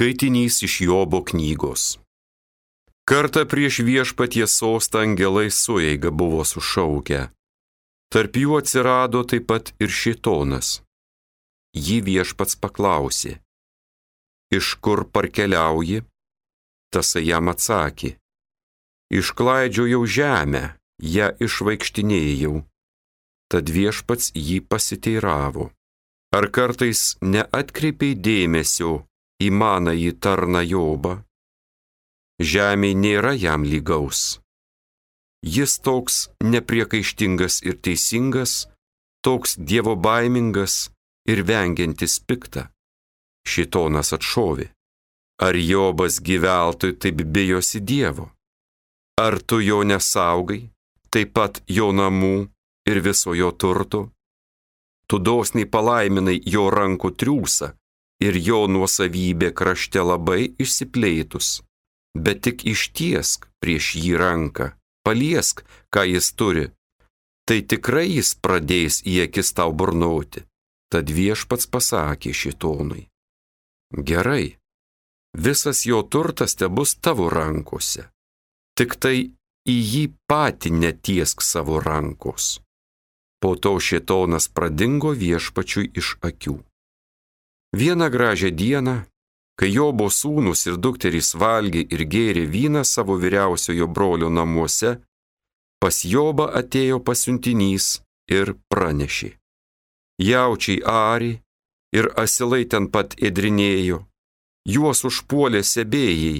Skaitinys iš Jobo knygos. Kartą prieš Viešpaties sostą angelai sueiga buvo sušaukę. Tarp jų atsirado taip pat ir Šėtonas. Jį Viešpats paklausė: iš kur parkeliauji? Tasai jam atsakė: išklaidžiojau žemę, ją išvaikštinėjau. Tad Viešpats jį pasiteiravo: ar kartais neatkreipiai dėmesio į manąjį tarną Jobą? Žemė nėra jam lygaus. Jis toks nepriekaištingas ir teisingas, toks dievobaimingas ir vengiantis piktą. Šėtonas atšovė: ar Jobas gyveltui taip bijosi Dievo? Ar tu jo nesaugai, taip pat jo namų ir viso jo turto? Tu dosniai palaiminai jo rankų triūsą ir jo nuosavybė krašte labai išsiplėtus, bet tik ištiesk prieš jį ranką, paliesk, ką jis turi, tai tikrai jis pradės į akis tau burnoti. Tad Viešpats pasakė Šėtonui: gerai, visas jo turtas tebus tavo rankose, tik tai į jį patį netiesk savo rankos. Po to Šėtonas pradingo Viešpačiui iš akių. Vieną gražią dieną, kai Jobo sūnus ir dukterys valgė ir gėrė vyną savo vyriausiojo brolio namuose, pas Jobą atėjo pasiuntinys ir pranešė: jaučiai ari ir asilai ten pat ėdrinėjo, juos užpuolė sebėjai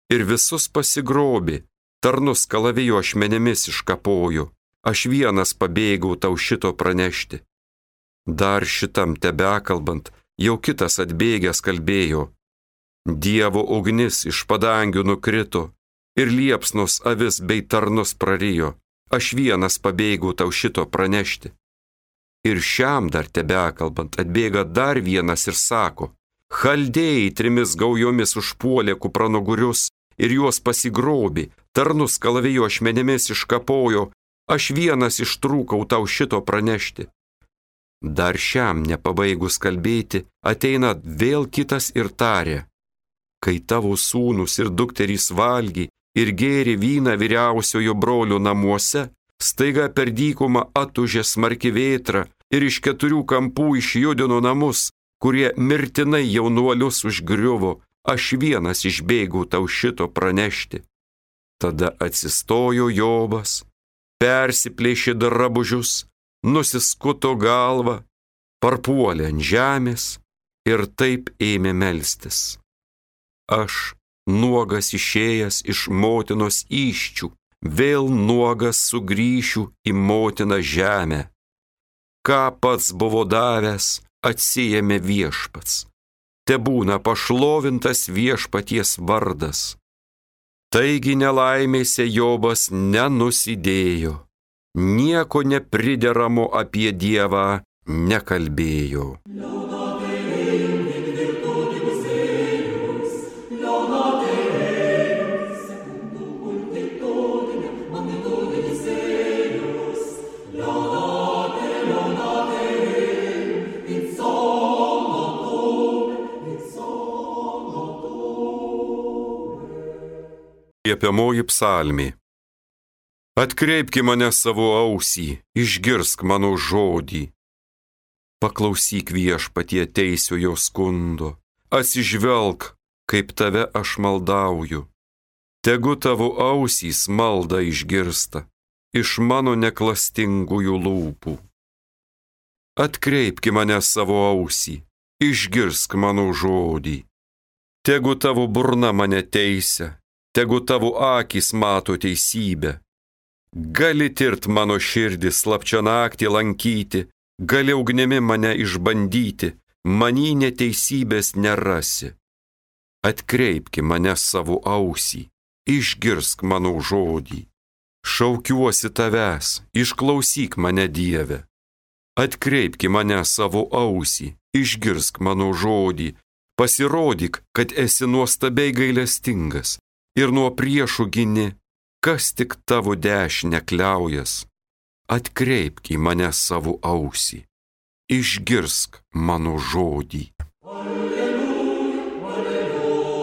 ir visus pasigrobė, tarnus kalavijo ašmenėmis iškapojo, aš vienas pabėgau tau šito pranešti. Dar šitam tebekalbant, jau kitas atbėgęs kalbėjo: Dievo ugnis iš padangių nukrito ir liepsnos avis bei tarnus prarijo, aš vienas pabėgau tau šito pranešti. Ir šiam dar tebekalbant atbėga dar vienas ir sako: chaldėjai 3 gaujomis užpuolė kupranugurius ir juos pasigrobė, tarnus kalavijo ašmenėmis iškapojo, aš vienas ištrūkau tau šito pranešti. Dar šiam nepabaigus kalbėti, ateina vėl kitas ir tarė: kai tavo sūnus ir dukterys valgė ir gėrė vyną vyriausiojo brolio namuose, staiga per dykumą atužė smarki vėtra ir iš 4 kampų išjudino namus, kurie mirtinai jaunuolius užgriuvo, aš vienas išbėgau tau šito pranešti. Tada atsistojo Jobas, persiplėšė drabužius, nusiskuto galvą, parpuolė ant žemės ir taip ėmė melstis: aš, nuogas išėjęs iš motinos įsčių, vėl nuogas sugrįšiu į motiną žemę. Ką pats buvo davęs, atsiėmė Viešpats. Tebūna pašlovintas Viešpaties vardas. Taigi nelaimėse Jobas nenusidėjo, nieko neprideramo apie Dievą nekalbėjo. Liepiamoji psalmė. Atkreipki mane savo ausį, išgirsk mano žodį. Paklausyk Viešpatie teisiojo skundo, atsižvelk, kaip tave aš maldauju. Tegu tavo ausys maldą išgirsta iš mano neklastingųjų lūpų. Atkreipki mane savo ausį, išgirsk mano žodį. Tegu tavo burna mane teisia, tegu tavo akys mato teisybę. Gali tirt mano širdį slapčia naktį lankyti, gali ugnimi mane išbandyti, manį neteisybės nerasi. Atkreipki mane savo ausį, išgirsk mano žodį. Šaukiuosi tavęs, išklausyk mane Dieve. Atkreipki mane savo ausį, išgirsk mano žodį, pasirodyk, kad esi nuostabiai gailestingas ir nuo priešų gini, kas tik tavo dešinę kliaujas. Atkreipk į mane savo ausį, išgirsk mano žodį. Alleluja, alleluja.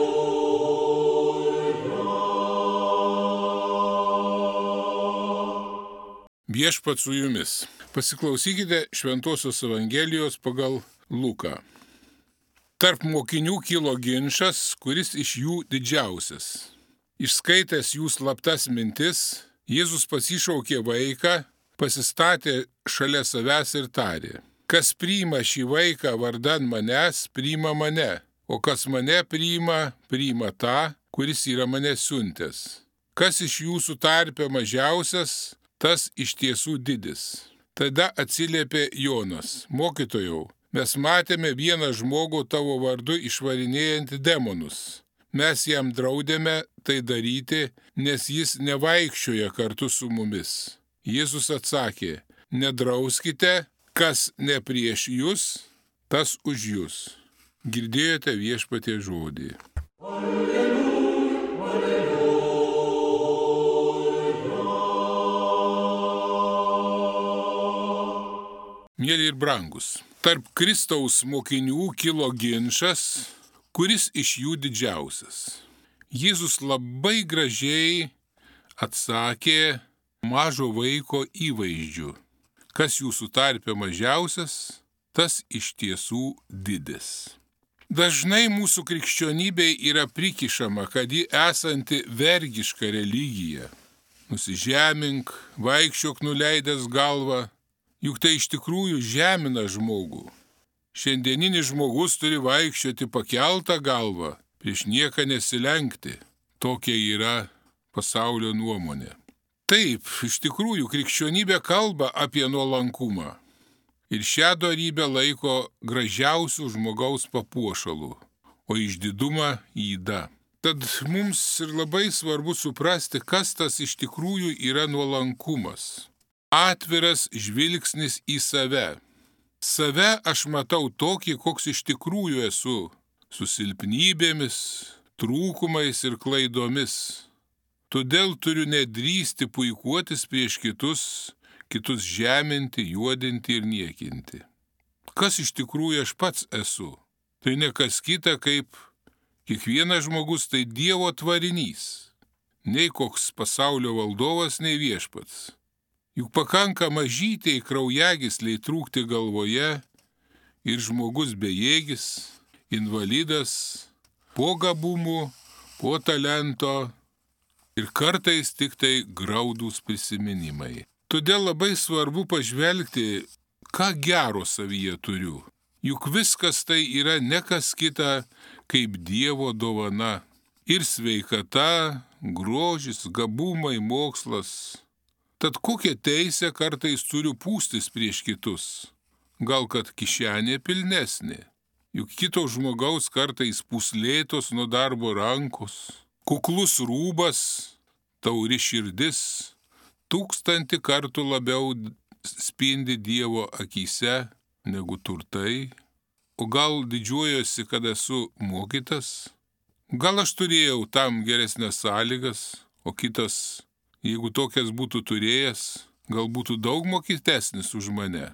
Viešpats su jumis. Pasiklausykite Šventosios Evangelijos pagal Luką. Tarp mokinių kilo ginčas, kuris iš jų didžiausias. Išskaitęs jų slaptas mintis, Jėzus pasišaukė vaiką, pasistatė šalia savęs ir tarė: kas priima šį vaiką vardan manęs, priima mane, o kas mane priima, priima tą, kuris yra mane siuntęs. Kas iš jūsų tarpe mažiausias, tas iš tiesų didis. Tada atsiliepė Jonas: mokytojau, mes matėme vieną žmogų tavo vardu išvarinėjantį demonus. Mes jam draudėme tai daryti, nes jis nevaikščioja kartu su mumis. Jėzus atsakė: nedrauskite, kas ne prieš jūs, tas už jūs. Girdėjote Viešpaties žodį. Mėly ir brangus, tarp Kristaus mokinių kilo ginčas, kuris iš jų didžiausias. Jėzus labai gražiai atsakė mažo vaiko įvaizdžiu: kas jūsų tarpe mažiausias, tas iš tiesų didis. Dažnai mūsų krikščionybei yra prikišama, kad ji esanti vergiška religija. Nusižemink, vaikščiok nuleidęs galvą, juk tai iš tikrųjų žemina žmogų. Šiandieninis žmogus turi vaikščioti pakeltą galvą, prieš nieką nesilenkti. Tokia yra pasaulio nuomonė. Taip, iš tikrųjų krikščionybė kalba apie nuolankumą. Ir šią dorybę laiko gražiausių žmogaus papuošalų, o išdidumą yda. Tad mums ir labai svarbu suprasti, kas tas iš tikrųjų yra nuolankumas. Atviras žvilgsnis į save. Save aš matau tokį, koks iš tikrųjų esu, su silpnybėmis, trūkumais ir klaidomis. Todėl turiu nedrįsti puikuotis prieš kitus žeminti, juodinti ir niekinti. Kas iš tikrųjų aš pats esu? Tai ne kas kita, kaip kiekvienas žmogus, tai Dievo tvarinys. Nei koks pasaulio valdovas, nei viešpats. Juk pakanka mažytei kraujagysliai trūkti galvoje ir žmogus bejėgis, invalidas, po gabumų, po talento ir kartais tik tai graudūs prisiminimai. Todėl labai svarbu pažvelgti, ką gero savyje turiu. Juk viskas tai yra ne kas kita, kaip Dievo dovana. Ir sveikata, grožis, gabumai, mokslas. Tad kokią teisę kartais turiu pūstis prieš kitus? Gal kad kišenė pilnesnė? Juk kito žmogaus kartais puslėtos nuo darbo rankos, kuklus rūbas, tauri širdis 1000 kartų labiau spindi Dievo akyse negu turtai. O gal didžiuojuosi, kad esu mokytas? Gal aš turėjau tam geresnės sąlygas, o kitas, jeigu tokias būtų turėjęs, gal būtų daug mokytesnis už mane.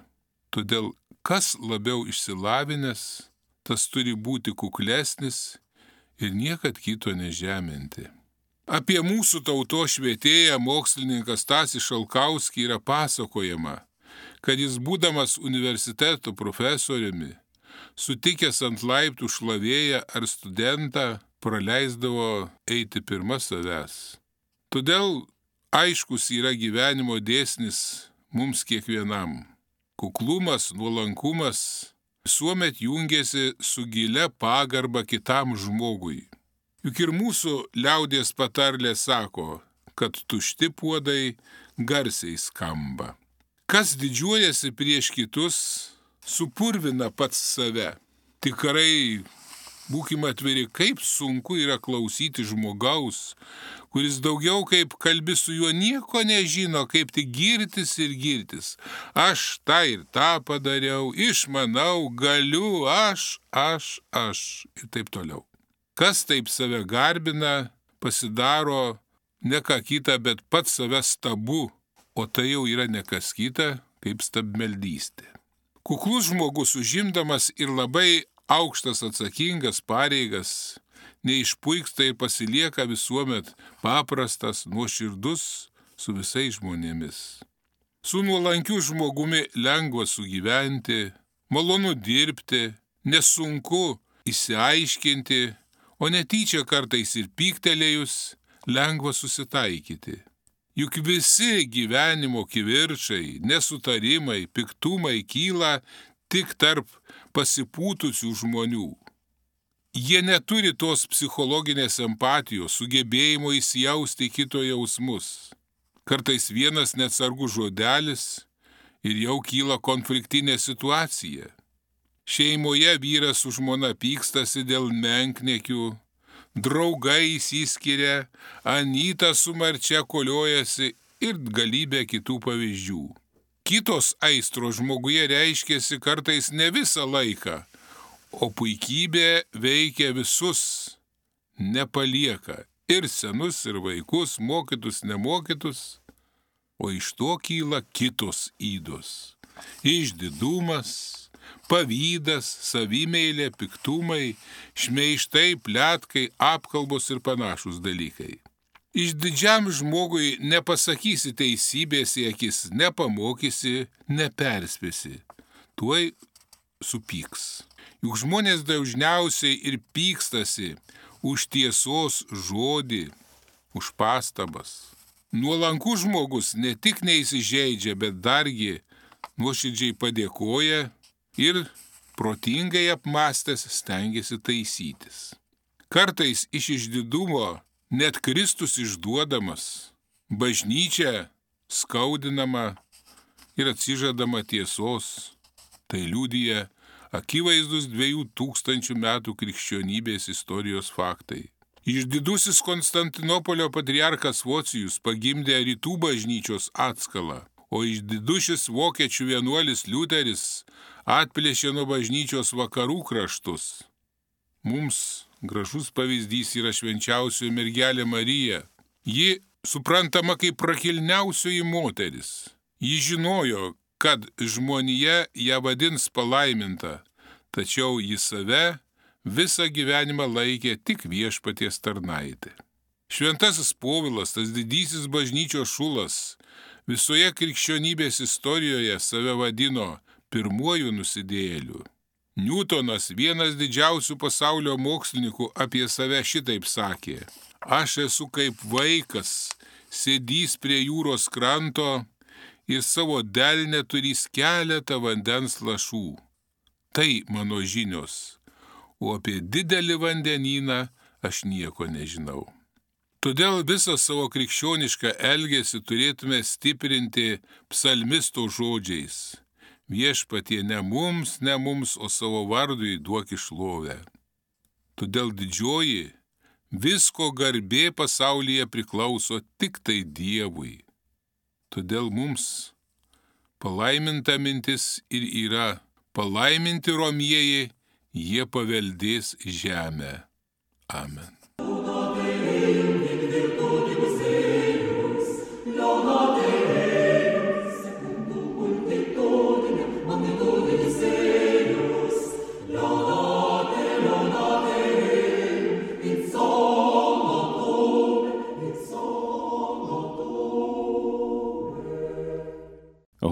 Todėl kas labiau išsilavinęs, tas turi būti kuklesnis ir niekad kito nežeminti. Apie mūsų tautos švietėją mokslininką Stasį Šalkauskį yra pasakojama, kad jis būdamas universiteto profesoriumi, sutikęs ant laiptų šlavėją ar studentą, praleisdavo eiti pirma savęs. Todėl aiškus yra gyvenimo dėsnis mums kiekvienam. Kuklumas, nuolankumas visuomet jungiasi su gilia pagarba kitam žmogui. Juk ir mūsų liaudies patarlė sako, kad tušti puodai garsiai skamba. Kas didžiuojasi prieš kitus, supurvina pats save. Tikrai būkime atviri, kaip sunku yra klausyti žmogaus, kuris daugiau kaip kalbi su juo nieko nežino, kaip tik girtis ir girtis. Aš tą ir tą padariau, išmanau, galiu, aš ir taip toliau. Kas taip save garbina, pasidaro ne ką kitą, bet pats save stabu, o tai jau yra ne kas kita, kaip stabmeldystė. Kuklus žmogus užimdamas ir labai aukštas atsakingas pareigas, neišpuiksta ir pasilieka visuomet paprastas, nuoširdus su visais žmonėmis. Su nuolankiu žmogumi lengva sugyventi, malonu dirbti, nesunku išsiaiškinti, o netyčia kartais ir pyktelėjus lengva susitaikyti. Juk visi gyvenimo kivirčai, nesutarimai, piktumai kyla tik tarp pasipūtusių žmonių. Jie neturi tos psichologinės empatijos, sugebėjimo įsijausti kito jausmus. Kartais vienas neatsargus žodelis ir jau kyla konfliktinė situacija. Šeimoje vyras su žmona pykstasi dėl menkniekių, draugai išsiskiria, anyta su marčia koliojasi ir galybė kitų pavyzdžių. Kitos aistros žmoguje reiškiasi kartais ne visą laiką, o puikybė veikia visus, nepalieka ir senus, ir vaikus, mokytus, nemokytus, o iš to kyla kitos ydos. Išdidumas, pavydas, savimeilė, piktumai, šmeižtai, pletkai, apkalbos ir panašus dalykai. Išdidžiam žmogui nepasakysi teisybės į akis, nepamokysi, neperspėsi. Tuoj supyks. Juk žmonės dažniausiai ir pykstasi už tiesos žodį, už pastabas. Nuolankus žmogus ne tik neįsižeidžia, bet dargi nuoširdžiai padėkoja ir protingai apmąstęs stengiasi taisytis. Kartais iš išdidumo net Kristus išduodamas, bažnyčia skaudinama ir atsižadama tiesos. Tai liudija akivaizdus 2000 metų krikščionybės istorijos faktai. Išdidusis Konstantinopolio patriarchas Vocijus pagimdė rytų bažnyčios atskalą, o išdidušis vokiečių vienuolis Liuteris atplėšė nuo bažnyčios vakarų kraštus. Mums gražus pavyzdys yra švenčiausioji mergelė Marija. Ji suprantama kaip prakilniausioji moteris. Ji žinojo, kad žmonija ją vadins palaiminta, tačiau ji save visą gyvenimą laikė tik viešpaties tarnaitė. Šventasis Povilas, tas didysis bažnyčios šulas, visoje krikščionybės istorijoje save vadino pirmuoju nusidėjėliu. Niutonas, vienas didžiausių pasaulio mokslininkų, apie save šitaip sakė: aš esu kaip vaikas, sėdys prie jūros kranto ir savo delne turys keletą vandens lašų. Tai mano žinios, o apie didelį vandenyną aš nieko nežinau. Todėl visą savo krikščionišką elgesį turėtume stiprinti psalmisto žodžiais: viešpatie ne mums, o savo vardui duok šlovę. Todėl didžioji visko garbė pasaulyje priklauso tik tai Dievui. Todėl mums palaiminta mintis ir yra: palaiminti romieji, jie paveldės žemę. Amen.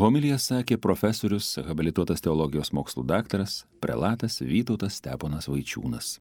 Homiliją sakė profesorius, habilituotas teologijos mokslų daktaras, prelatas Vytautas Steponas Vaičiūnas.